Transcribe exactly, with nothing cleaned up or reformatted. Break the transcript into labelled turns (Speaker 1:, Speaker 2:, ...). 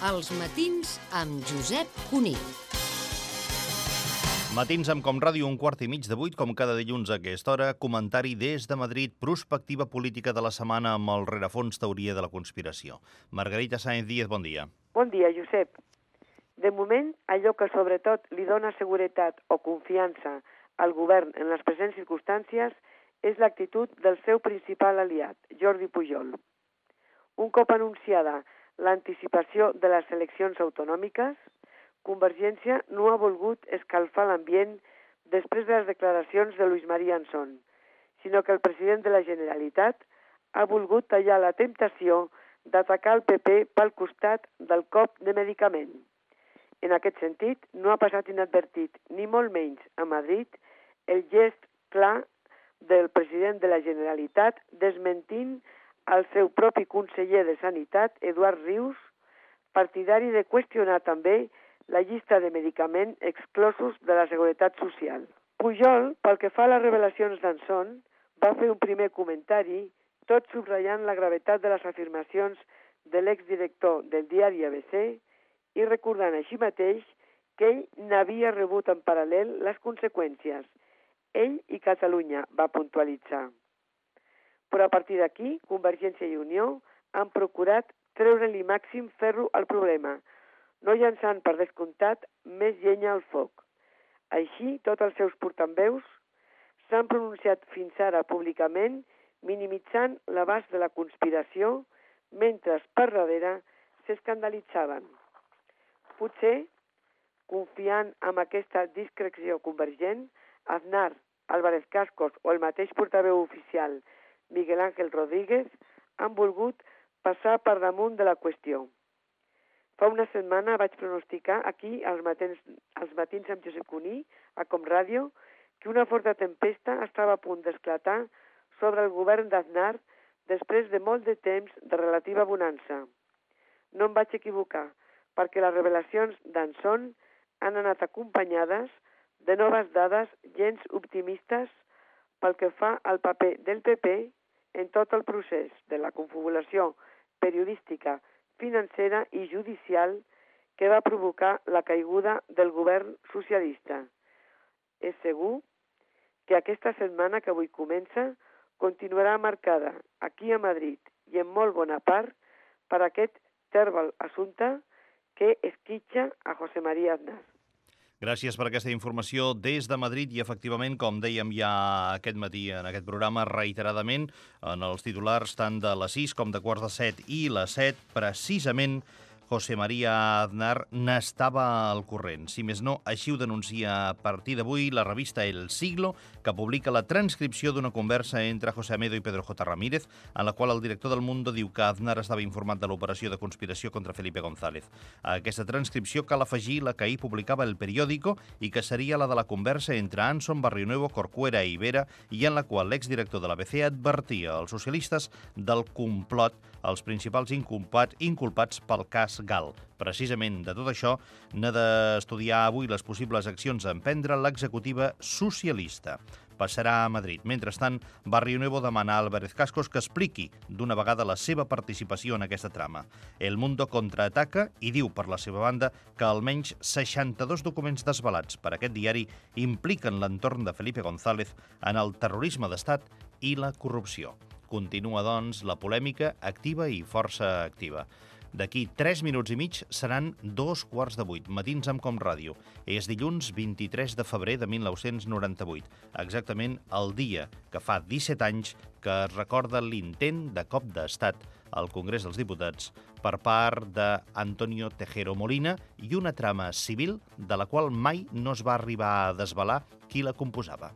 Speaker 1: Els matins amb Josep Cunill.
Speaker 2: Matins amb Com Ràdio, un quart i mig de vuit, com cada dilluns a aquesta hora, comentari des de Madrid, prospectiva política de la setmana amb el rerefons teoria de la conspiració. Margarita Sáenz Díez, bon dia.
Speaker 3: Bon dia, Josep. De moment, allò que sobretot li dona seguretat o confiança al govern en les presents circumstàncies és l'actitud del seu principal aliat, Jordi Pujol. Un cop anunciada l'anticipació de les eleccions autonòmiques, Convergència no ha volgut escalfar l'ambient després de les declaracions de Luis María Anson, sinó que el president de la Generalitat ha volgut tallar la temptació d'atacar el P P pel costat del cop de medicament. En aquest sentit, no ha passat inadvertit, ni molt menys a Madrid, el gest clar del president de la Generalitat desmentint el seu propi conseller de Sanitat, Eduard Rius, partidari de qüestionar també la llista de medicaments exclosos de la Seguretat Social. Pujol, pel que fa a les revelacions d'Anson, va fer un primer comentari, tot subratllant la gravetat de les afirmacions de l'exdirector del diari A B C i recordant així mateix que ell n'havia rebut en paral·lel les conseqüències. Ell i Catalunya, va puntualitzar. Però a partir d'aquí, Convergència i Unió han procurat treure-li màxim ferro al problema, no llançant per descomptat més llenya al foc. Així, tots els seus portaveus s'han pronunciat fins ara públicament minimitzant l'abast de la conspiració, mentre per darrere s'escandalitzaven. Potser, confiant en aquesta discreció convergent, Aznar, Álvarez Cascos o el mateix portaveu oficial Miguel Ángel Rodríguez han volgut passar per damunt de la qüestió. Fa una setmana vaig pronosticar aquí, als matins, als matins amb Josep Cunill, a Com Ràdio, que una forta tempesta estava a punt d'esclatar sobre el govern d'Aznar després de molt de temps de relativa bonança. No em vaig equivocar, perquè les revelacions d'Anson han anat acompanyades de noves dades gens optimistes pel que fa al paper del P P en tot el procés de la confabulació periodística, financera i judicial que va provocar la caiguda del govern socialista. És segur que aquesta setmana que avui comença continuarà marcada aquí a Madrid i en molt bona part per aquest tèrbol assumpte que esquitxa a José María Aznar.
Speaker 2: Gràcies per aquesta informació des de Madrid i, efectivament, com dèiem ja aquest matí en aquest programa, reiteradament, en els titulars tant de les sis com de quarts de set i les set, precisament José María Aznar n'estava al corrent. Si més no, així ho denuncia a partir d'avui la revista El Siglo, que publica la transcripció d'una conversa entre José Amedo i Pedro J. Ramírez, en la qual el director del Mundo diu que Aznar estava informat de l'operació de conspiració contra Felipe González. A aquesta transcripció cal afegir la que ahir publicava El Periódico i que seria la de la conversa entre Anson, Barrionuevo, Corcuera i Vera, i en la qual l'exdirector de l'A B C advertia als socialistes del complot, els principals inculpats, inculpats pel cas Gal. Precisament de tot això n'ha d'estudiar avui les possibles accions a emprendre l'executiva socialista. Passarà a Madrid. Mentrestant, Barrionuevo demana a Álvarez Cascos que expliqui d'una vegada la seva participació en aquesta trama. El Mundo contraataca i diu, per la seva banda, que almenys seixanta-dos documents desvelats per aquest diari impliquen l'entorn de Felipe González en el terrorisme d'estat i la corrupció. Continua, doncs, la polèmica activa i força activa. D'aquí tres minuts i mig seran dos quarts de vuit, matins amb Com Ràdio. És dilluns vint-i-tres de febrer de mil nou-cents noranta-vuit, exactament el dia que fa disset anys que es recorda l'intent de cop d'estat al Congrés dels Diputats per part d'Antonio Tejero Molina i una trama civil de la qual mai no es va arribar a desvelar qui la composava.